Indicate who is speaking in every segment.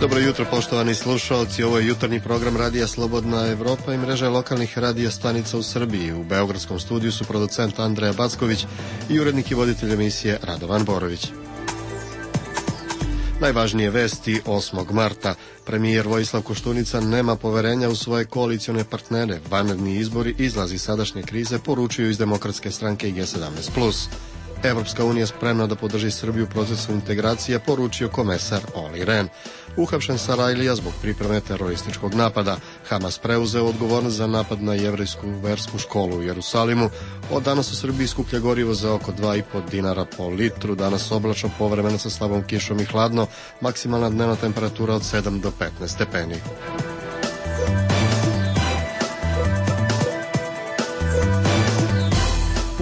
Speaker 1: Dobro jutro, poštovani slušalci. Ovo je jutarnji program Radija Slobodna Evropa i mreža lokalnih radija stanica u Srbiji. U beogradskom studiju su producent Andreja Backović i urednik i voditelj emisije Radovan Borović. Najvažnije vesti 8. marta. Premijer Vojislav Koštunica nema poverenja u svoje koalicione partnere. Vanredni izbori, izlazi sadašnje krize, poručuju iz Demokratske stranke i G17+. Evropska unija spremna da podrži Srbiju u procesu integracije, poručio komesar Olli Rehn. Uhapšen Sarajlija zbog pripreme terorističkog napada. Hamas preuzeo odgovornost za napad na jevrejsku versku školu u Jerusalimu. Od danas u Srbiji skuplja gorivo za oko 2,5 dinara po litru. Danas oblačno, povremeno sa slabom kišom i hladno. Maksimalna dnevna temperatura od 7 do 15 stepeni.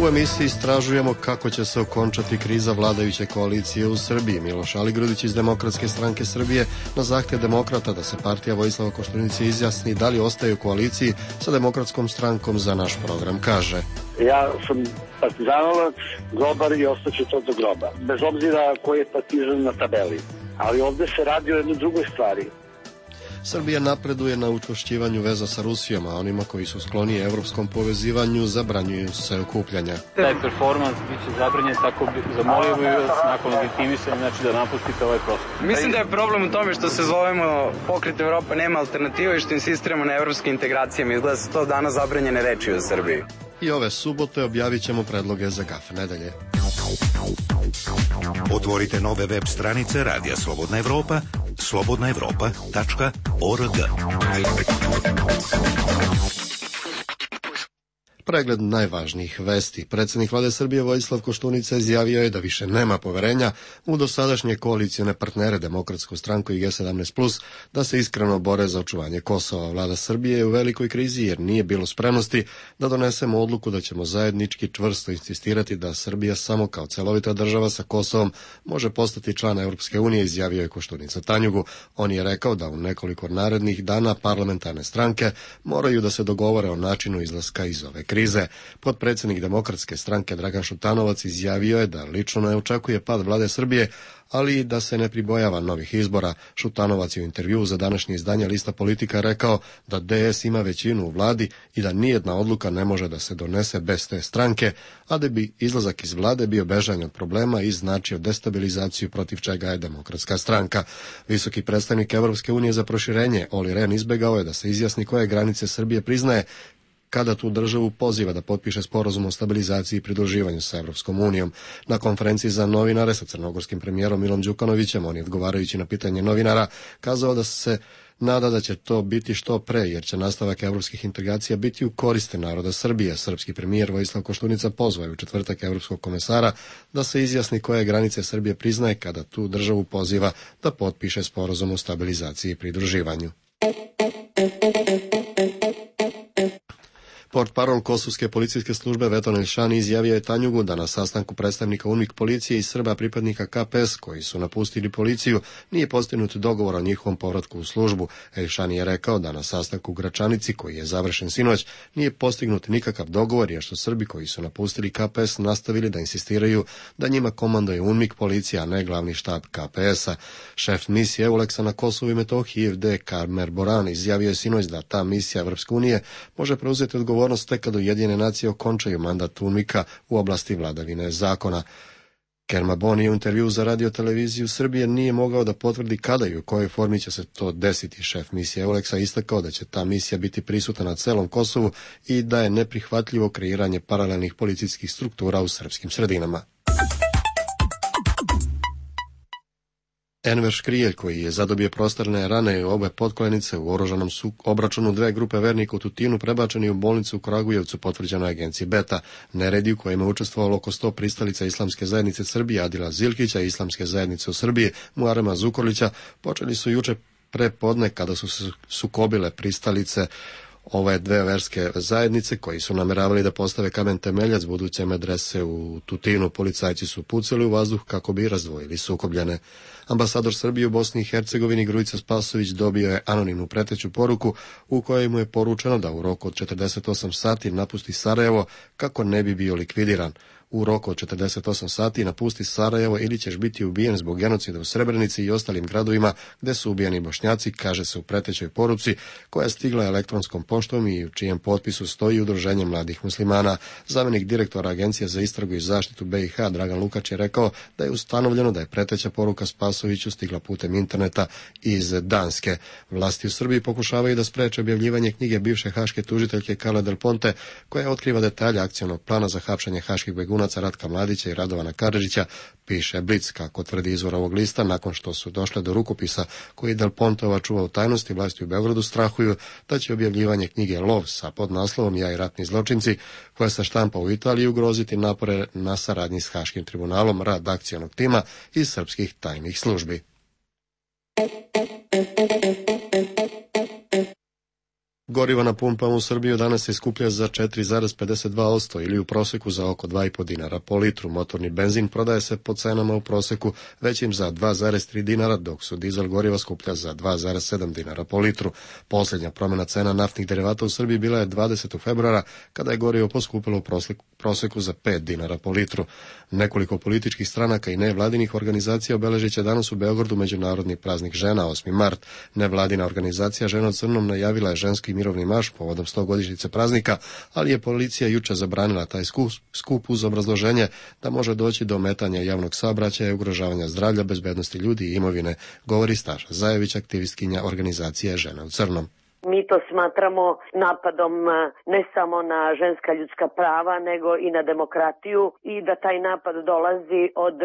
Speaker 1: U emisiji istražujemo kako će se okončati kriza vladajuće koalicije u Srbiji. Miloš Aligrudić iz Demokratske stranke Srbije na zahtev demokrata da se partija Vojislava Koštunice izjasni da li ostaje u koaliciji sa Demokratskom strankom za naš program kaže.
Speaker 2: Ja sam partizanovac, grobar i ostaću to do groba. Bez obzira koji je partizan na tabeli. Ali ovde se radi o jednoj drugoj stvari.
Speaker 1: Srbija napreduje na učvršćivanju veza sa Rusijom, a onima koji su skloni evropskom povezivanju zabranjuju se okupljanja.
Speaker 3: Taj performans biće zabranjen, tako zamolio bih vas nakon legitimisanja, znači da napustite ovaj prostor.
Speaker 4: Mislim da je problem u tome što se zovemo Pokret Evropa nema alternativa i što insistiramo na evropskim integracijama. Izgleda se to danas zabranjene reči u Srbiji.
Speaker 1: I ove subote objavit ćemo predloge za GAF nedelje.
Speaker 5: Otvorite nove web stranice Radija Slobodna Evropa, slobodnaevropa.org.
Speaker 1: Pregled najvažnijih vesti. Predsjednik vlade Srbije Vojislav Koštunica izjavio je da više nema poverenja u dosadašnje koalicione partnere Demokratsku stranku i G17+, da se iskreno bore za očuvanje Kosova. Vlada Srbije je u velikoj krizi jer nije bilo spremnosti da donesemo odluku da ćemo zajednički čvrsto insistirati da Srbija samo kao celovita država sa Kosovom može postati član Europske unije, izjavio je Koštunica Tanjugu. On je rekao da u nekoliko narednih dana parlamentarne stranke moraju da se dogovore o načinu izlaska iz ove krize. Potpredsjednik Demokratske stranke Dragan Šutanovac izjavio je da lično ne očekuje pad vlade Srbije, ali i da se ne pribojava novih izbora. Šutanovac je u intervjuu za današnje izdanje Lista Politika rekao da DS ima većinu u vladi i da nijedna odluka ne može da se donese bez te stranke, a da bi izlazak iz vlade bio bežanje od problema i značio destabilizaciju, protiv čega je Demokratska stranka. Visoki predstavnik Evropske unije za proširenje Olli Rehn izbegao je da se izjasni koje granice Srbije priznaje kada tu državu poziva da potpiše sporazum o stabilizaciji i pridruživanju sa Evropskom unijom. Na konferenciji za novinare sa crnogorskim premijerom Milom Đukanovićem, on je odgovarajući na pitanje novinara kazao da se nada da će to biti što pre, jer će nastavak evropskih integracija biti u koriste naroda Srbije. Srpski premijer Vojislav Koštunica pozvao je u četvrtak evropskog komesara da se izjasni koje granice Srbije priznaje kada tu državu poziva da potpiše sporazum o stabilizaciji i pridruživanju. Portparol Kosovske policijske službe Veton Elšani izjavio je Tanjugu da na sastanku predstavnika UNMIK policije i Srba pripadnika KPS koji su napustili policiju nije postignut dogovor o njihovom povratku u službu. Elšani je rekao da na sastanku u Gračanici koji je završen sinoć nije postignut nikakav dogovor jer su Srbi koji su napustili KPS nastavili da insistiraju da njima komanduje UNMIK policija, a ne glavni štab KPS-a. Šef misije EULEX-a na Kosovu i Metohiji FD Karmer Boran izjavio je sinoć da ta misija Evropske unije može preuzeti odgovornost tek kad Ujedinjene nacije okončaju mandat UNMIK-a u oblasti vladavine zakona. Kermabon je u intervjuu za radioteleviziju Srbije nije mogao da potvrdi kada i u kojoj formi će se to desiti. Šef misije EULEX-a istakao da će ta misija biti prisutna na celom Kosovu i da je neprihvatljivo kreiranje paralelnih policijskih struktura u srpskim sredinama. Enver Škrijelj, koji je zadobio prostorne rane i obe potkoljenice u oružanom obračunu dve grupe vernika u Tutinu, prebačeni u bolnicu u Kragujevcu, potvrđeno je agenciji Beta. Neredi u kojima je učestvovalo oko 100 pristalica Islamske zajednice Srbije, Adila Zilkića i Islamske zajednice u Srbiji, Muarema Zukorlića, počeli su juče prepodne kada su se sukobile pristalice ove dve verske zajednice koji su nameravali da postave kamen temeljac buduće medrese u Tutinu. Policajci su pucali u vazduh kako bi razdvojili sukobljene. Ambasador Srbije u Bosni i Hercegovini Grujica Spasović dobio je anonimnu preteću poruku u kojoj mu je poručeno da u roku od 48 sati napusti Sarajevo kako ne bi bio likvidiran. u roku od 48 sati napusti Sarajevo ili ćeš biti ubijen zbog genocida u Srebrenici i ostalim gradovima gde su ubijani Bošnjaci, kaže se u pretećoj poruci koja je stigla elektronskom poštom i u čijem potpisu stoji Udruženje mladih muslimana. Zamjenik direktora Agencije za istragu i zaštitu BiH Dragan Lukač je rekao da je ustanovljeno da je preteća poruka Spasoviću stigla putem interneta iz Danske. Vlasti u Srbiji pokušavaju da spreče objavljivanje knjige bivše haške tužiteljke Carle Del Ponte, koja otkriva detalje akcionog plana za hapšenje haških begunaca Ratka Mladića i Radovana Karadžića, piše Blic. Kako tvrdi izvor ovog lista, nakon što su došle do rukopisa koji Del Pontova čuva u tajnosti, vlasti u Beogradu strahuju da će objavljivanje knjige Lov sa podnaslovom Ja i ratni zločinci, koja se štampa u Italiji, ugroziti napore na saradnji s Haškim tribunalom, rad akcionog tima iz srpskih tajnih službi. Gorivo na pumpama u Srbiji danas se skuplja za 4,52% ili u proseku za oko 2,5 dinara po litru. Motorni benzin prodaje se po cenama u proseku većim za 2,3 dinara, dok su dizel goriva skuplja za 2,7 dinara po litru. Posljednja promjena cena naftnih derivata u Srbiji bila je 20. februara, kada je gorivo poskupilo u proseku za 5 dinara po litru. Nekoliko političkih stranaka i nevladinih organizacija obeležit će danas u Beogradu Međunarodni praznik žena, 8. mart. Nevladina organizacija Žena u crnom najavila je ženski mirovni marš povodom 100-godišnjice praznika, ali je policija juče zabranila taj skup uz obrazloženje da može doći do ometanja javnog saobraćaja i ugrožavanja zdravlja, bezbednosti ljudi i imovine, govori Staša Zajević, aktivistkinja organizacije Žena u crnom.
Speaker 6: Mi to smatramo napadom ne samo na ženska ljudska prava, nego i na demokratiju i da taj napad dolazi od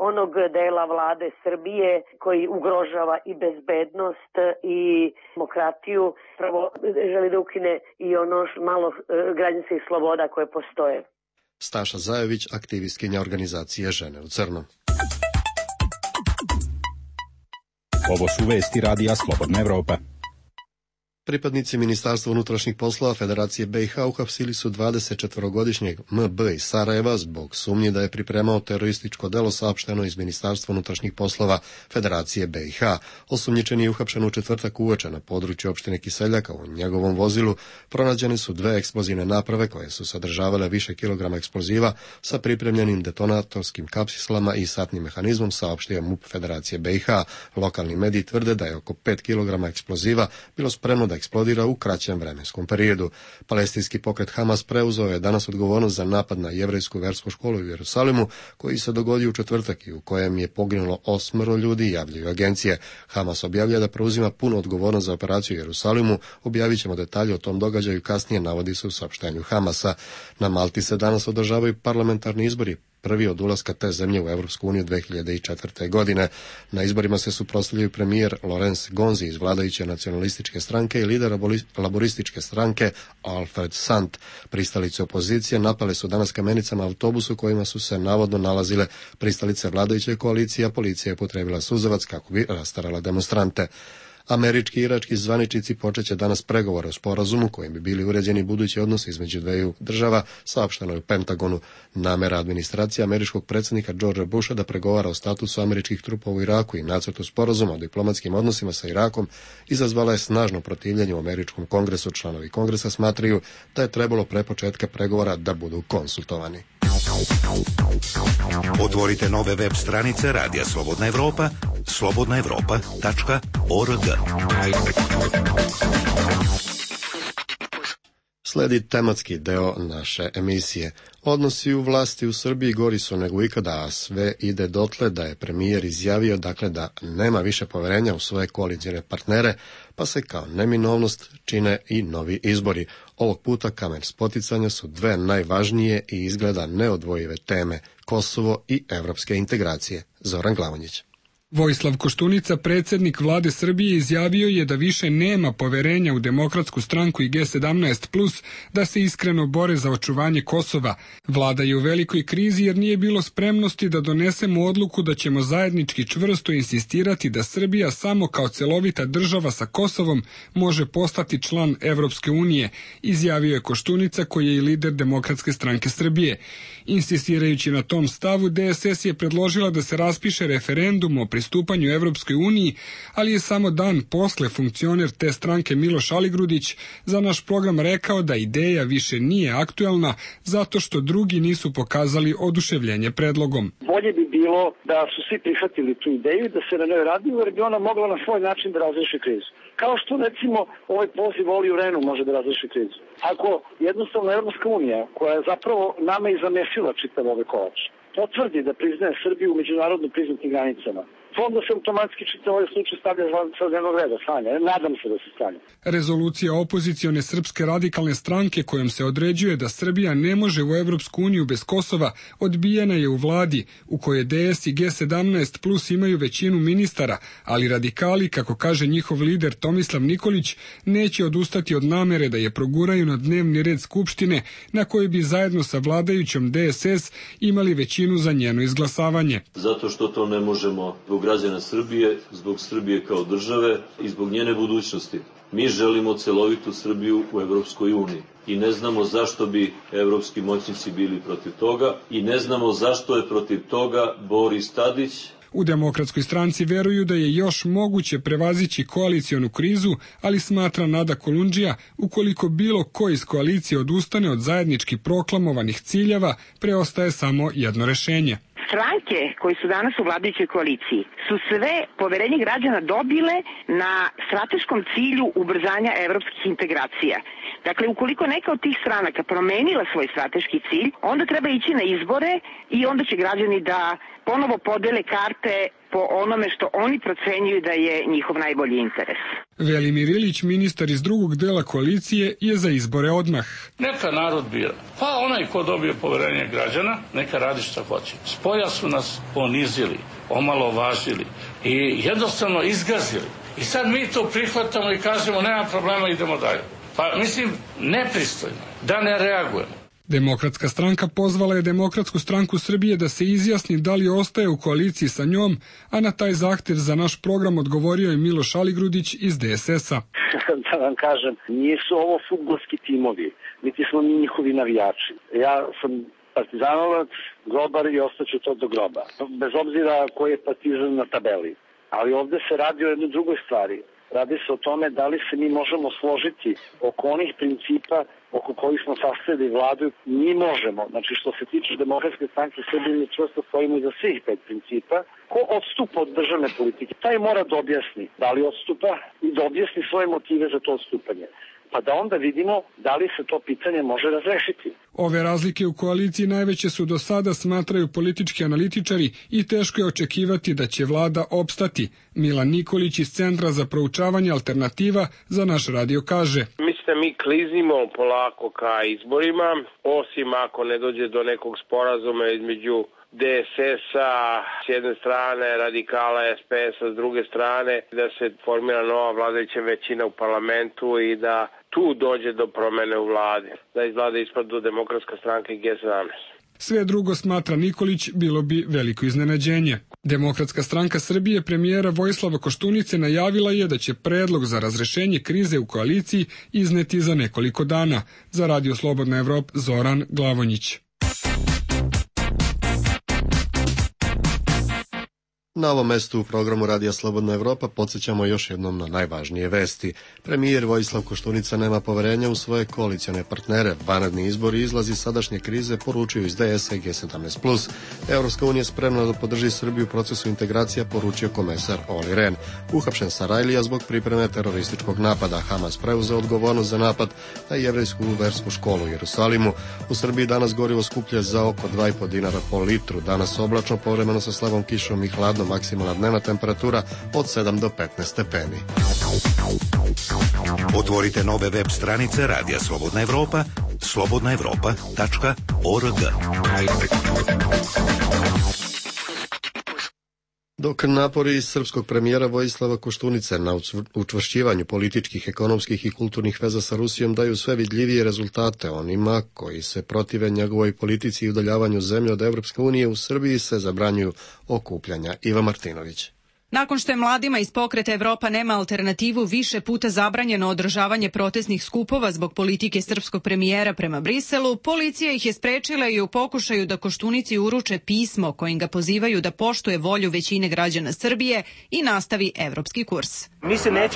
Speaker 6: onog dela vlade Srbije koji ugrožava i bezbednost i demokratiju. Prvo želi da ukine i ono malo građanskih sloboda koje postoje.
Speaker 1: Staša Zajević, aktivistkinja organizacije Žene u crnom.
Speaker 7: Ovo su vesti radija Slobodna Evropa.
Speaker 1: Pripadnici Ministarstva unutrašnjih poslova Federacije BiH uhapsili su 24-godišnjeg MB iz Sarajeva zbog sumnji da je pripremao terorističko delo, saopšteno iz Ministarstva unutrašnjih poslova Federacije BiH. Osumnjičeni je uhapšen u četvrtak uveče na području opštine Kiseljaka. U njegovom vozilu pronađene su 2 eksplozivne naprave koje su sadržavale više kilograma eksploziva sa pripremljenim detonatorskim kapslama i satnim mehanizmom, saopštio MUP Federacije BiH. Lokalni mediji tvrde da je oko 5 kilograma eksploziva bilo spremno da eksplodira u kraćem vremenskom periodu. Palestinski pokret Hamas preuzeo je danas odgovornost za napad na jevrejsku versku školu u Jerusalimu, koji se dogodio u četvrtak i u kojem je poginulo 8 ljudi, javljaju agencije. Hamas objavlja da preuzima punu odgovornost za operaciju u Jerusalimu. Objavit ćemo detalje o tom događaju kasnije, navodi se u saopštenju Hamasa. Na Malti se danas održavaju parlamentarni izbori, prvi od ulaska te zemlje u Evropsku uniju 2004. godine. Na izborima se suprotstavljaju premijer Lorenz Gonzi iz vladajuće nacionalističke stranke i lider laborističke stranke Alfred Sant. Pristalice opozicije napale su danas kamenicama autobusu u kojima su se navodno nalazile pristalice vladajuće koalicije, a policija je upotrijebila suzavac kako bi rastarala demonstrante. Američki i irački zvaničnici počeće danas pregovore o sporazumu kojim bi bili uređeni budući odnosi između dveju država, saopšteno je u Pentagonu. Namera administracije američkog predsjednika Georgea Busha da pregovara o statusu američkih trupa u Iraku i nacrtu sporazuma o diplomatskim odnosima sa Irakom izazvala je snažno protivljenje u američkom kongresu. Članovi kongresa smatraju da je trebalo pre početka pregovora da budu konsultovani.
Speaker 5: Otvorite nove web stranice Radija Slobodna Evropa, slobodnaevropa.org.
Speaker 1: Sledi tematski deo naše emisije. Odnosi u vlasti u Srbiji gori su nego ikada, a sve ide dotle da je premijer izjavio da nema više poverenja u svoje koalicijne partnere, pa se kao neminovnost čine i novi izbori. Ovog puta kamen spoticanja su 2 najvažnije i izgleda neodvojive teme, Kosovo i evropske integracije. Zoran Glavonjić.
Speaker 8: Vojislav Koštunica, predsjednik vlade Srbije, izjavio je da više nema poverenja u Demokratsku stranku i G17+, da se iskreno bore za očuvanje Kosova. Vlada je u velikoj krizi jer nije bilo spremnosti da donesemo odluku da ćemo zajednički čvrsto insistirati da Srbija samo kao celovita država sa Kosovom može postati član Evropske unije, izjavio je Koštunica, koji je i lider Demokratske stranke Srbije. Insistirajući na tom stavu, DSS je predložila da se raspiše referendum o pristupanju Evropskoj uniji, ali je samo dan posle funkcioner te stranke Miloš Aligrudić za naš program rekao da ideja više nije aktuelna zato što drugi nisu pokazali oduševljenje predlogom.
Speaker 2: Bolje bi bilo da su svi prihvatili tu ideju i da se na njoj radi, jer bi ona mogla na svoj način da razreši krizu. Kao što recimo ovaj poziv Oli u Renu može da razreši krizu. Ako jednostavno Evropska unija, koja je zapravo nama i zamesila čitav ove kolač, potvrdi da priznaje Srbiju u međunarodno priznatim granicama, onda se automatski čitav ovaj slučaj stavlja sa dnevnog reda, stanja. Nadam se da se stanja.
Speaker 8: Rezolucija opozicione Srpske radikalne stranke kojom se određuje da Srbija ne može u Evropsku uniju bez Kosova odbijena je u vladi u kojoj DS i G17 plus imaju većinu ministara, ali radikali, kako kaže njihov lider Tomislav Nikolić, neće odustati od namere da je proguraju na dnevni red Skupštine na kojoj bi zajedno sa vladajućom DSS imali većinu za njeno izglasavanje.
Speaker 9: Zato što to ne možemo zbog građana Srbije, zbog Srbije kao države i zbog njene budućnosti. Mi želimo celovitu Srbiju u Evropskoj uniji i ne znamo zašto bi evropski moćnici bili protiv toga i ne znamo zašto je protiv toga Boris Tadić.
Speaker 8: U Demokratskoj stranci veruju da je još moguće prevazići koalicionu krizu, ali smatra Nada Kolundžija, ukoliko bilo ko iz koalicije odustane od zajednički proklamovanih ciljeva, preostaje samo jedno rešenje.
Speaker 10: Stranke koji su danas u vladajućoj koaliciji su sve poverenje građana dobile na strateškom cilju ubrzanja evropskih integracija. Dakle, ukoliko neka od tih stranaka promenila svoj strateški cilj, onda treba ići na izbore i onda će građani da ponovo podele karte po onome što oni procenjuju da je njihov najbolji interes.
Speaker 8: Velimir Ilić, ministar iz drugog dela koalicije, je za izbore odmah.
Speaker 11: Neka narod bira. Pa onaj ko dobije poverenje građana, neka radi šta hoće. Spolja su nas ponizili, omalovažili i jednostavno izgazili. I sad mi to prihvatamo i kažemo nema problema, idemo dalje. Pa mislim, nepristojno da ne reagujemo.
Speaker 8: Demokratska stranka pozvala je Demokratsku stranku Srbije da se izjasni da li ostaje u koaliciji sa njom, a na taj zahtev za naš program odgovorio je Miloš Aligrudić iz DSS-a.
Speaker 2: Da vam kažem, nisu ovo fudbalski timovi, niti smo mi njihovi navijači. Ja sam partizanovac, grobar i ostaću to do groba. Bez obzira koji je partizan na tabeli. Ali ovde se radi o jednoj drugoj stvari. Radi se o tome da li se mi možemo složiti oko onih principa oko kojih smo sastavili vladu. Mi možemo, znači što se tiče Demokratske stranke Srbije, mi čvrsto stojimo iza svih 5 principa. Ko odstupa od državne politike, taj mora da objasni da li odstupa i da objasni svoje motive za to odstupanje. Pa da onda vidimo da li se to pitanje može razrešiti.
Speaker 8: Ove razlike u koaliciji najveće su do sada, smatraju politički analitičari, i teško je očekivati da će vlada opstati. Milan Nikolić iz Centra za proučavanje alternativa za naš radio kaže:
Speaker 12: Mislim da mi klizimo polako ka izborima, osim ako ne dođe do nekog sporazuma između DSS-a s jedne strane, radikala SPS-a s druge strane, da se formira nova vladajuća većina u parlamentu i da tu dođe do promene u vladi, da iz vlade ispadnu Demokratska stranka i G17.
Speaker 8: Sve drugo, smatra Nikolić, bilo bi veliko iznenađenje. Demokratska stranka Srbije premijera Vojislava Koštunice najavila je da će predlog za razrešenje krize u koaliciji izneti za nekoliko dana. Za Radio Slobodna Evropa, Zoran Glavonjić.
Speaker 1: Na ovom mestu u programu Radija Slobodna Evropa podsjećamo još jednom na najvažnije vesti. Premijer Vojislav Koštunica nema poverenja u svoje koalicione partnere. Vanredni izbori i izlazi sadašnje krize poručuju iz DS-a i G17+. Evropska unija spremna da podrži Srbiju u procesu integracija, poručio komesar Oli Ren. Uhapšen Sarajlija zbog pripreme terorističkog napada. Hamas preuzeo odgovornost za napad na jevrejsku versku školu u Jerusalimu. U Srbiji danas gorivo skuplje za oko 2,5 dinara po litru. Danas oblačno, povremeno sa slabom kišom i hladno. Maksimalna dnevna temperatura od 7 do 15 stepeni.
Speaker 5: Otvorite nove web stranice Radija Slobodna Evropa, slobodnaevropa.org.
Speaker 1: Dok napori srpskog premijera Vojislava Koštunice na učvršćivanju političkih, ekonomskih i kulturnih veza sa Rusijom daju sve vidljivije rezultate, onima koji se protive njegovoj politici i udaljavanju zemlje od Evropske unije, u Srbiji se zabranjuju okupljanja. Iva Martinović.
Speaker 13: Nakon što je mladima iz Pokreta Evropa nema alternativu više puta zabranjeno održavanje protestnih skupova zbog politike srpskog premijera prema Briselu, policija ih je sprečila i u pokušaju da Koštunici uruče pismo kojim ga pozivaju da poštuje volju većine građana Srbije i nastavi evropski kurs.
Speaker 14: Mi se ne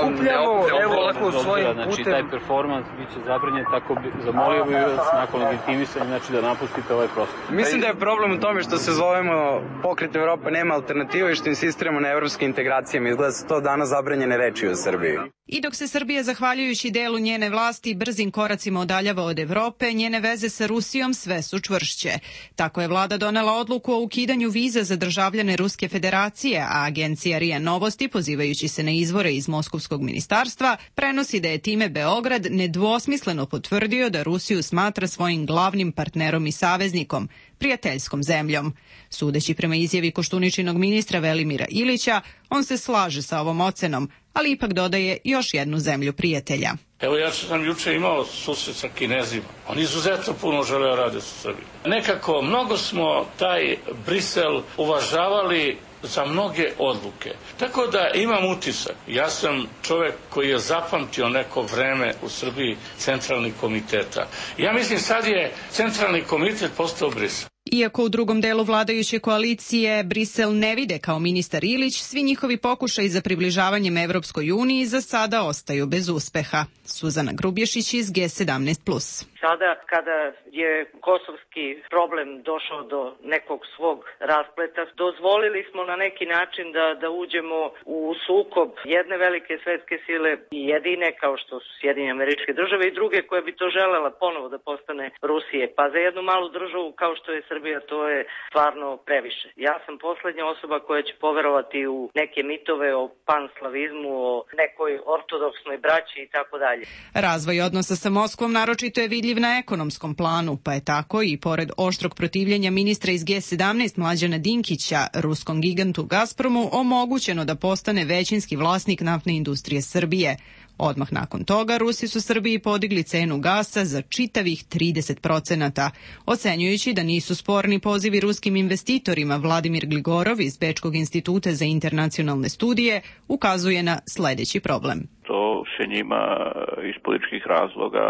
Speaker 14: okupljamo, evo ovako svojim putem.
Speaker 3: Znači, taj performans biće zabranjen, tako zamolio bih vas nakon legitimisanja, znači da napustite ovaj prostor.
Speaker 4: Mislim da je problem u tome što se zovemo Pokret Evropa nema alternativu i što insistiramo na evropskim integracijama. Izgleda su to danas zabranjene reči u Srbiji.
Speaker 13: I dok se Srbija, zahvaljujući delu njene vlasti, brzim koracima udaljava od Evrope, njene veze sa Rusijom sve su čvršće. Tako je vlada donela odluku o ukidanju viza za državljane Ruske federacije, a agencija RIA Novosti, pozivajući se na izvore iz Moskovskog ministarstva, prenosi da je time Beograd nedvosmisleno potvrdio da Rusiju smatra svojim glavnim partnerom i saveznikom, prijateljskom zemljom. Sudeći prema izjavi Koštuničinog ministra Velimira Ilića, on se slaže sa ovom ocenom, ali ipak dodaje još jednu zemlju prijatelja.
Speaker 11: Evo ja sam juče imao susret sa Kinezima. Oni izuzetno puno žele rade sa Srbijom. Nekako mnogo smo taj Brisel uvažavali za mnoge odluke. Tako da imam utisak. Ja sam čovek koji je zapamtio neko vreme u Srbiji centralnih komiteta. Ja mislim sad je centralni komitet postao Brisel.
Speaker 13: Iako u drugom delu vladajuće koalicije Brisel ne vide kao ministar Ilić, svi njihovi pokušaji za približavanjem Evropskoj uniji za sada ostaju bez uspeha. Suzana Grubješić iz G17+.
Speaker 15: Sada kada je kosovski problem došao do nekog svog raspleta, dozvolili smo na neki način da uđemo u sukob jedne velike svetske sile i jedine kao što su Sjedinjene Američke Države i druge koje bi to želela ponovo da postane Rusije. Pa za jednu malu državu kao što je Srbija to je stvarno previše. Ja sam poslednja osoba koja će poverovati u neke mitove o panslavizmu, o nekoj ortodoksnoj braći i tako dalje.
Speaker 13: Razvoj odnosa sa Moskvom naročito je vidljiv na ekonomskom planu, pa je tako i pored oštrog protivljenja ministra iz G17 Mlađana Dinkića, ruskom gigantu Gazpromu omogućeno da postane većinski vlasnik naftne industrije Srbije. Odmah nakon toga Rusi su Srbiji podigli cenu gasa za čitavih 30%, ocenjujući da nisu sporni pozivi ruskim investitorima. Vladimir Gligorov iz Bečkog instituta za internacionalne studije ukazuje na sledeći problem.
Speaker 16: To se njima iz političkih razloga,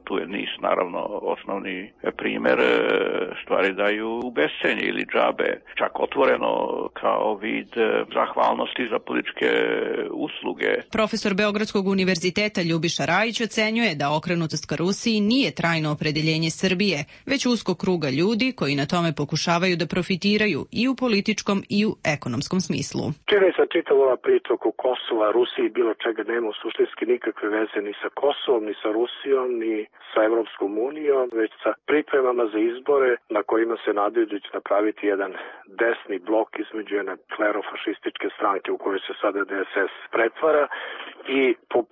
Speaker 16: tu je niz naravno osnovni primer, stvari daju u bescenje ili džabe, čak otvoreno kao vid zahvalnosti za političke usluge.
Speaker 13: Profesor Beogradskog univerziteta Ljubiša Rajić ocenjuje da okrenutost ka Rusiji nije trajno opredeljenje Srbije, već uskog kruga ljudi koji na tome pokušavaju da profitiraju i u političkom i u ekonomskom smislu.
Speaker 17: Čini se čitava ova priča oko Kosova, Rusiji, bilo čega nema suštinski nikakve veze ni sa Kosovom, ni sa Rusijom, ni sa Evropskom unijom, već sa pripremama za izbore na kojima se nadaju da će napraviti jedan desni blok između jedne klerofašističke stranke u kojoj se sada DSS pretvara i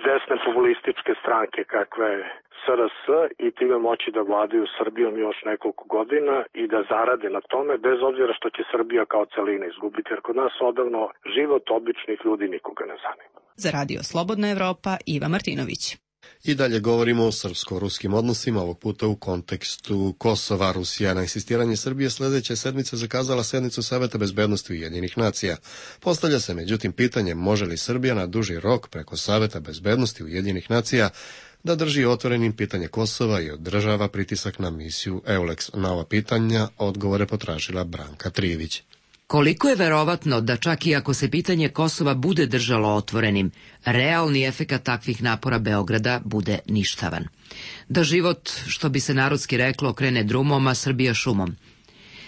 Speaker 17: desne populističke stranke kakva je SRS i time moći da vladaju Srbijom još nekoliko godina i da zarade na tome, bez obzira što će Srbija kao celina izgubiti, jer kod nas odavno život običnih ljudi nikoga ne zanima.
Speaker 13: Za Radio Slobodna Evropa, Iva Martinović.
Speaker 1: I dalje govorimo o srpsko-ruskim odnosima, ovog puta u kontekstu Kosova. Rusija na insistiranje Srbije sledeće sedmice zakazala sednicu Saveta bezbednosti Ujedinjenih nacija. Postavlja se međutim pitanje može li Srbija na duži rok preko Saveta bezbednosti Ujedinjenih nacija da drži otvorenim pitanje Kosova i održava pritisak na misiju EULEX. Na ova pitanja odgovore potražila Branka Trijević.
Speaker 18: Koliko je verovatno da čak i ako se pitanje Kosova bude držalo otvorenim, realni efekat takvih napora Beograda bude ništavan? Da život, što bi se narodski reklo, krene drumom, a Srbija šumom.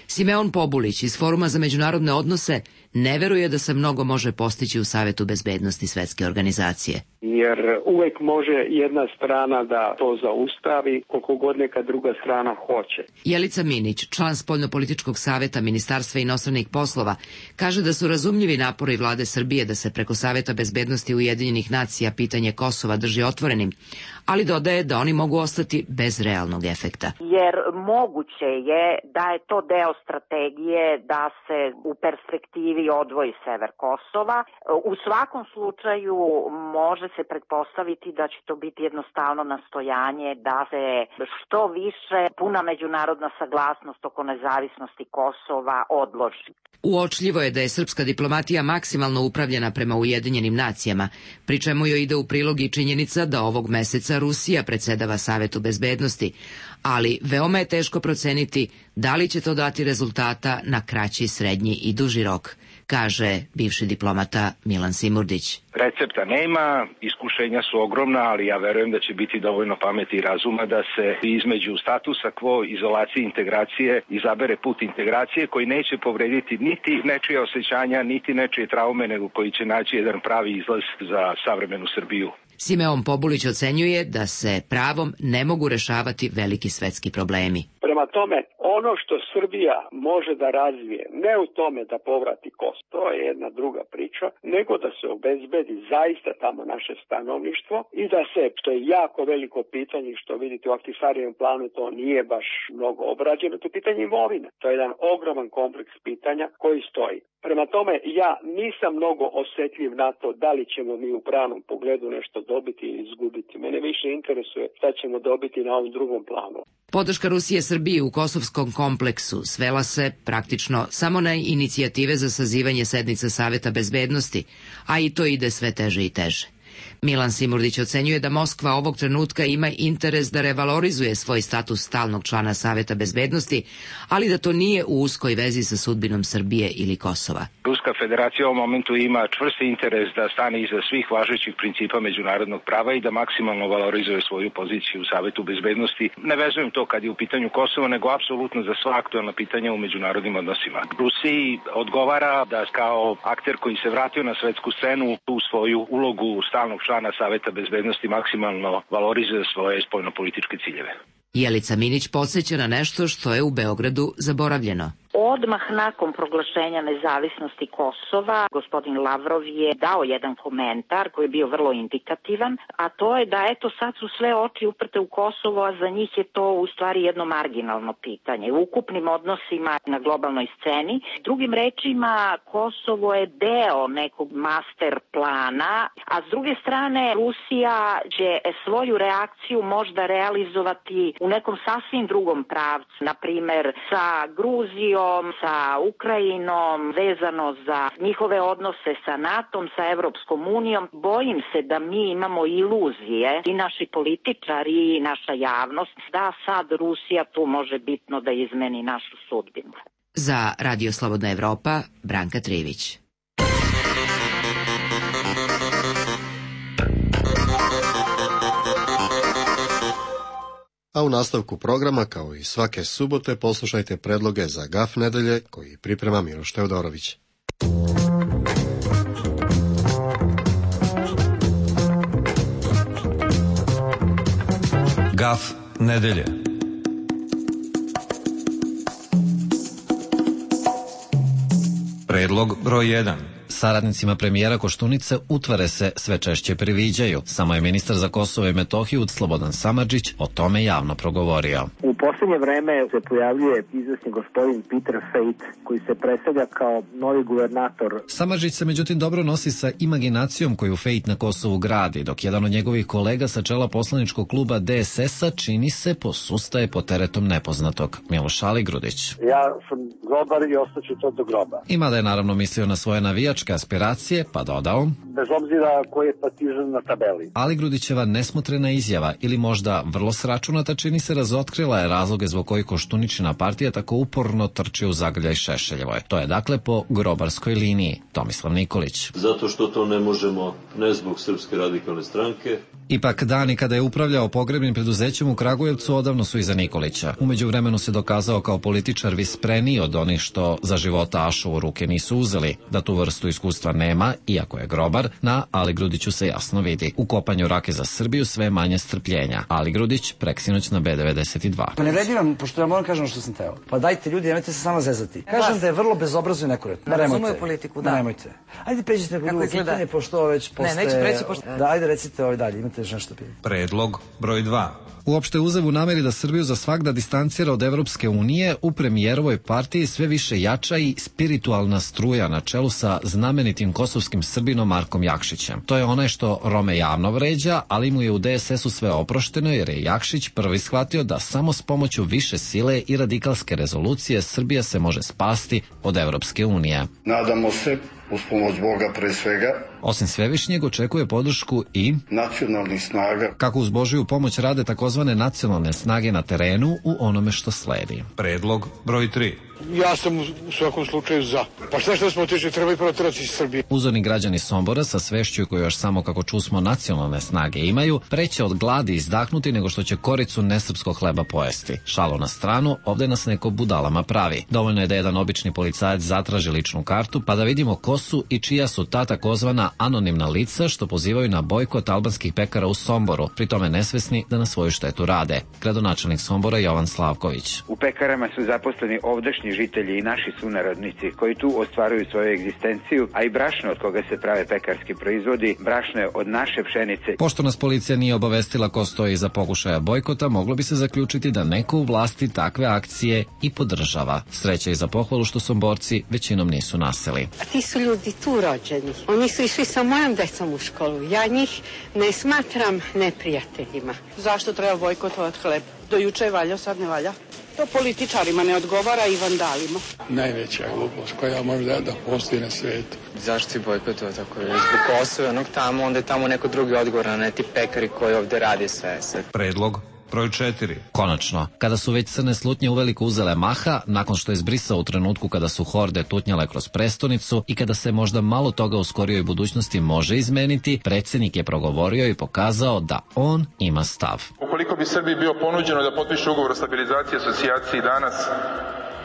Speaker 18: Simeon Pobulić iz Foruma za međunarodne odnose ne veruje da se mnogo može postići u Savetu bezbednosti Svetske organizacije.
Speaker 19: Jer uvek može jedna strana da to zaustavi koliko god neka druga strana hoće.
Speaker 18: Jelica Minić, član Spoljnopolitičkog saveta Ministarstva inostranih poslova, kaže da su razumljivi napori vlade Srbije da se preko Saveta bezbednosti Ujedinjenih nacija pitanje Kosova drži otvorenim, ali dodaje da oni mogu ostati bez realnog efekta.
Speaker 6: Jer moguće je da je to deo strategije da se u perspektivi
Speaker 20: ili odvoji sever Kosova. U svakom slučaju može se pretpostaviti da će to biti jednostavno nastojanje da se što više puna međunarodna saglasnost oko nezavisnosti Kosova odloži.
Speaker 18: Uočljivo je da je srpska diplomatija maksimalno upravljena prema Ujedinjenim nacijama, pri čemu joj ide u prilog i činjenica da ovog meseca Rusija predsedava Savetu bezbednosti, ali veoma je teško proceniti da li će to dati rezultata na kraći, srednji i duži rok, kaže bivši diplomata Milan Simurdić.
Speaker 21: Recepta nema, iskušenja su ogromna, ali ja verujem da će biti dovoljno pameti i razuma da se između statusa quo, izolacije i integracije izabere put integracije koji neće povrediti niti nečije osjećanja, niti nečije traume, nego koji će naći jedan pravi izlaz za savremenu Srbiju.
Speaker 18: Simeon Pobulić ocenjuje da se pravom ne mogu rešavati veliki svetski problemi.
Speaker 19: Prema tome, ono što Srbija može da razvije, ne u tome da povrati Kosovo, to je jedna druga priča, nego da se obezbedi zaista tamo naše stanovništvo i da se, što je jako veliko pitanje, što vidite u aktivstarijem planu, to nije baš mnogo obrađeno, to je pitanje imovine. To je jedan ogroman kompleks pitanja koji stoji. Prema tome, ja nisam mnogo osjetljiv na to da li ćemo mi u pravnom pogledu nešto dobiti ili izgubiti. Mene više interesuje šta ćemo dobiti na ovom drugom planu.
Speaker 18: Podrška Rusije Srbiji u kosovskom kompleksu svela se praktično samo na inicijative za sazivanje sednica Saveta bezbednosti, a i to ide sve teže i teže. Milan Simurdić ocenjuje da Moskva ovog trenutka ima interes da revalorizuje svoj status stalnog člana Saveta bezbednosti, ali da to nije u uskoj vezi sa sudbinom Srbije ili Kosova.
Speaker 21: Ruska federacija u ovom momentu ima čvrsti interes da stane iza svih važećih principa međunarodnog prava i da maksimalno valorizuje svoju poziciju u Savetu bezbednosti. Ne vezujem to kad je u pitanju Kosova, nego apsolutno za sva aktuelna pitanja u međunarodnim odnosima. Rusiji odgovara da kao akter koji se vratio na svetsku scenu tu svoju ulogu stalnog člana Saveta bezbednosti maksimalno valorizuje svoje spoljnopolitičke ciljeve.
Speaker 18: Jelica Minić podsjeća na nešto što je u Beogradu zaboravljeno.
Speaker 20: Odmah nakon proglašenja nezavisnosti Kosova, gospodin Lavrov je dao jedan komentar koji je bio vrlo indikativan, a to je da eto sad su sve oči uprte u Kosovo, a za njih je to u stvari jedno marginalno pitanje. U ukupnim odnosima na globalnoj sceni, drugim rečima, Kosovo je deo nekog master plana, a s druge strane Rusija će svoju reakciju možda realizovati u nekom sasvim drugom pravcu, na primer sa Gruzijom, sa Ukrajinom, vezano za njihove odnose sa NATO-om, sa Evropskom unijom. Bojim se da mi imamo iluzije, i naši političari i naša javnost, da sad Rusija tu može bitno da izmeni našu sudbinu.
Speaker 18: Za Radio Slobodna Evropa, Branka Trivić.
Speaker 1: A u nastavku programa, kao i svake subote, poslušajte predloge za GAF nedelje koji priprema Miloš Teodorović.
Speaker 22: GAF nedelje. Predlog broj 1. Saradnicima premijera Koštunice utvare se sve češće priviđaju. Samo je ministar za Kosovo i Metohiju Slobodan Samardžić o tome javno progovorio.
Speaker 23: U posljednje vreme se pojavljuje izvesni gospodin Peter Fejt, koji se predstavlja kao novi guvernator.
Speaker 22: Samardžić se međutim dobro nosi sa imaginacijom koju Fejt na Kosovu gradi, dok jedan od njegovih kolega sa čela poslaničkog kluba DSS-a čini se posustaje pod teretom nepoznatog. Miloš Aligrudić.
Speaker 2: Ja sam grobar i ostaću to do groba.
Speaker 22: Ima da je naravno mislio na svoje navijačke aspiracije, pa dodao:
Speaker 2: bez obzira koji je partizan na tabeli.
Speaker 22: Aligrudićeva nesmotrena izjava ili možda vrlo sračunata čini se razotkrila je razloge zbog kojih Koštuničina partija tako uporno trči u zagrljaj Šešeljevoj. To je dakle po grobarskoj liniji. Tomislav Nikolić.
Speaker 9: Zato što to ne možemo, ne zbog Srpske radikalne stranke.
Speaker 22: Ipak dani kada je upravljao pogrebnim preduzećem u Kragujevcu odavno su iza Nikolića. U međuvremenu se dokazao kao političar vispreniji od onih što za života ašu u ruke nisu uzeli. Da tu vrstu iskustva nema, iako je grobar, na Aligrudiću se jasno vidi. U kopanju rake za Srbiju sve manje strpljenja. Aligrudić preksinoć na B92.
Speaker 24: Pa ne vredi vam, pošto ja moram kažem što sam teo. Pa dajte ljudi, nemojte se samo zezati. Kažem da je vrlo bezobrazno i nekorektno.
Speaker 25: Razumiju politiku, da.
Speaker 24: Nemojte. Ajde pređite neko drugo pitanje, pošto ovo već postaje...
Speaker 25: Ne, neću preći, pošto...
Speaker 24: Da, ajde recite ovaj dalje, imate još nešto pitanje.
Speaker 22: Predlog broj 2. Uopšte uzev u nameri da Srbiju za svagda distancira od Evropske unije, u premijerovoj partiji sve više jača i spiritualna struja na čelu sa znamenitim kosovskim Srbinom Markom Jakšićem. To je onaj što Rome javno vređa, ali mu je u DSS-u sve oprošteno jer je Jakšić prvi shvatio da samo s pomoću više sile i radikalske rezolucije Srbija se može spasti od Evropske unije.
Speaker 7: Nadamo se, uz pomoć Boga pre svega,
Speaker 22: osim Svevišnjeg očekuje podršku i
Speaker 7: nacionalnih snaga.
Speaker 22: Kako uz Božiju pomoć rade takozvane nacionalne snage na terenu u onome što sledi.
Speaker 8: Predlog broj 3.
Speaker 10: Ja sam u svakom slučaju za. Pa šta što smo otišli, treba i proterati iz Srbije.
Speaker 22: Uzorni građani Sombora sa svešću koju još samo kako čusmo nacionalne snage imaju, preće od gladi izdahnuti nego što će koricu nesrpskog hleba pojesti. Šalo na stranu, ovde nas neko budalama pravi. Dovoljno je da jedan obični policajac zatraži ličnu kartu pa da vidimo ko su i čija su ta takozvana anonimna lica što pozivaju na bojkot albanskih pekara u Somboru, pri tome nesvesni da na svoju štetu rade. Gradonačelnik Sombora Jovan Slavković.
Speaker 12: U pekarama su zaposleni ovdašnji žitelji i naši sunarodnici koji tu ostvaruju svoju egzistenciju, a i brašno od koga se prave pekarski proizvodi, brašno je od naše pšenice.
Speaker 22: Pošto nas policija nije obavestila ko stoji iza pokušaja bojkota, moglo bi se zaključiti da neko u vlasti takve akcije i podržava. Sreća i za pohvalu što Somborci većinom nisu naseli.
Speaker 25: A ti su ljudi tu rođeni. Oni su išli sa mojom decom u školu. Ja njih ne smatram neprijateljima.
Speaker 26: Zašto treba bojkotovati hleb? Do juče je valjao, sad ne valja. To političarima ne odgovara i vandalima.
Speaker 10: Najveća glupost koja može da postoji na svijetu.
Speaker 27: Zašto si bojkotovao tako? Zbog Kosova, onog tamo, onda je tamo neko drugi odgovor, a ne ti pekari koji ovde radi sve.
Speaker 8: Predlog broj 4.
Speaker 22: Konačno, kada su već crne slutnje uveliko uzele maha, nakon što je zbrisao u trenutku kada su horde tutnjale kroz prestonicu i kada se možda malo toga u skorijoj budućnosti može izmeniti, predsjednik je progovorio i pokazao da on ima stav.
Speaker 28: Ukoliko bi Srbiji bio ponuđeno da potpiše ugovor o stabilizaciji i asocijaciji danas,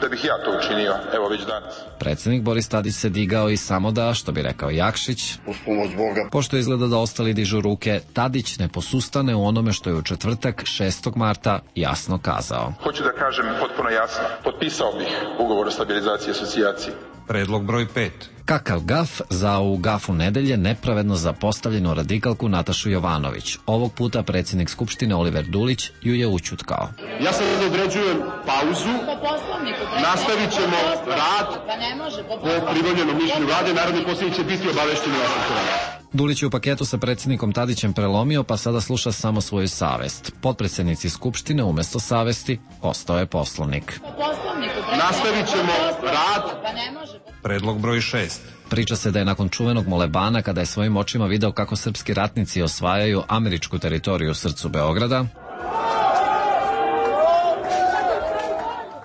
Speaker 28: da bih ja to učinio, evo već danas.
Speaker 22: Predsjednik Boris Tadić se digao i samo da, što bi rekao Jakšić,
Speaker 7: uz pomoć Boga.
Speaker 22: Pošto izgleda da ostali dižu ruke, Tadić ne posustane u onome što je u četvrtak 6. marta jasno kazao.
Speaker 28: Hoću da kažem potpuno jasno, potpisao bih ugovor o stabilizaciji i asocijaciji.
Speaker 8: Predlog broj 5.
Speaker 22: Kakav gaf za u gafu nedelje nepravedno zapostavljenu radikalku Natašu Jovanović. Ovog puta predsjednik Skupštine Oliver Dulić ju je ućutkao.
Speaker 10: Ja sad određujem pauzu, nastavit ćemo rad po pribavljenom mišljenju vlade, narodni poslanici će biti obavešteni vašom toga.
Speaker 22: Dulić je u paketu sa predsjednikom Tadićem prelomio, pa sada sluša samo svoju savest. Potpredsjednici Skupštine umjesto savesti ostao je Poslovnik.
Speaker 10: Nastavit ćemo rad.
Speaker 8: Predlog broj 6.
Speaker 22: Priča se da je nakon čuvenog molebana, kada je svojim očima video kako srpski ratnici osvajaju američku teritoriju u srcu Beograda,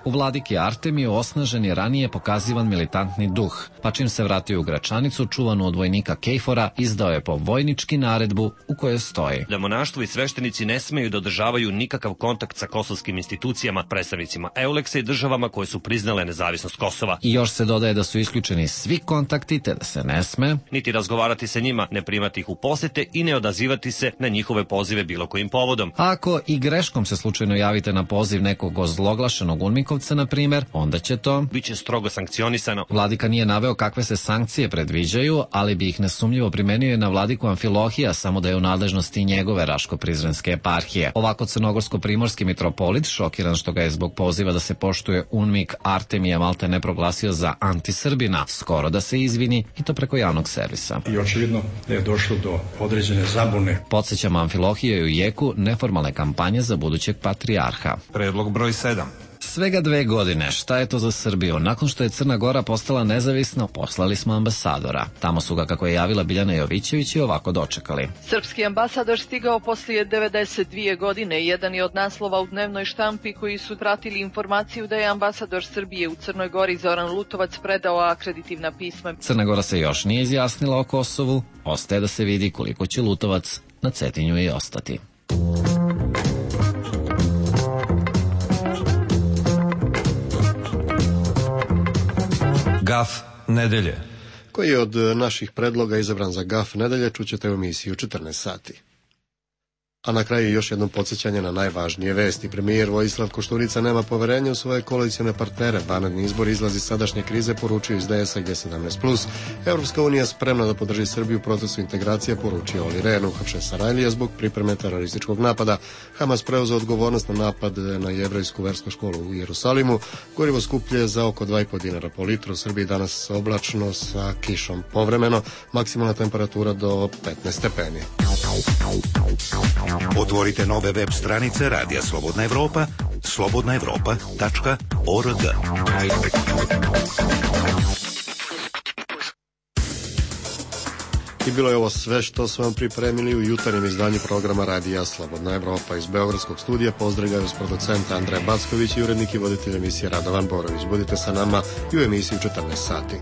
Speaker 22: u Vladiki Artemiju osnažen je ranije pokazivan militantni duh, pa čim se vratio u Gračanicu, čuvanu od vojnika Kejfora, izdao je po vojnički naredbu u kojoj stoji
Speaker 29: da monaštvo i sveštenici ne smeju da održavaju nikakav kontakt sa kosovskim institucijama, predstavnicima Euleksa i državama koje su priznale nezavisnost Kosova.
Speaker 22: I još se dodaje da su isključeni svi kontakti, te da se ne sme
Speaker 29: niti razgovarati sa njima, ne primati ih u posete i ne odazivati se na njihove pozive bilo kojim povodom.
Speaker 22: Ako i greškom se slučajno javite na poziv nekog ozloglašenog UNMIK-ovca, na primjer, onda će to
Speaker 29: biće strogo sankcionisano.
Speaker 22: Vladika nije naveo kakve se sankcije predviđaju, ali bi ih nesumnjivo primenio na vladiku Amfilohija, samo da je u nadležnosti njegove Raško-Prizrenske eparhije. Ovako crnogorsko-primorski mitropolit, šokiran što ga je zbog poziva da se poštuje UNMIK Artemija malte ne proglasio za antisrbina, skoro da se izvini i to preko javnog servisa.
Speaker 10: I očigledno da je došlo do određene zabune.
Speaker 22: Podsjećamo, Amfilohije je u jeku neformalne kampanje za budućeg patrijarha.
Speaker 8: Predlog broj 7.
Speaker 22: Svega 2 godine, šta je to za Srbiju? Nakon što je Crna Gora postala nezavisna, poslali smo ambasadora. Tamo su ga, kako je javila Biljana Jovićević, i ovako dočekali.
Speaker 30: Srpski ambasador stigao poslije 92 godine. Jedan je od naslova u dnevnoj štampi koji su pratili informaciju da je ambasador Srbije u Crnoj Gori Zoran Lutovac predao akreditivna pisma.
Speaker 22: Crna Gora se još nije izjasnila o Kosovu. Ostaje da se vidi koliko će Lutovac na Cetinju i ostati.
Speaker 8: Gaf nedelje.
Speaker 1: Koji je od naših predloga izabran za gaf nedelje, čućete u emisiji u 14 sati. A na kraju još jednom podsjećanje na najvažnije vesti. Premijer Vojislav Koštunica nema poverenja u svoje koalicione partnere. Vanredni izbor izlazi iz sadašnje krize, poručio iz DS-a G17+. Evropska unija spremna da podrži Srbiju u procesu integracije, poručio Oli Rehn. Uhapšen Sarajlija zbog pripreme terorističkog napada. Hamas preuzeo odgovornost na napad na jevrejsku versku školu u Jerusalimu. Gorivo skuplje za oko 2,5 dinara po litru. U Srbiji danas oblačno sa kišom povremeno. Maksimalna temperatura do 15 stepeni.
Speaker 3: Otvorite nove web stranice Radija Slobodna Evropa, slobodnaevropa.org.
Speaker 1: I bilo je ovo sve što smo vam pripremili u jutarnjem izdanju programa Radija Slobodna Evropa. Iz Beogradskog studija pozdravljaju s producenta Andreja Backović i urednik i voditelj emisije Radovan Borović. Budite sa nama i u emisiji 14 sati.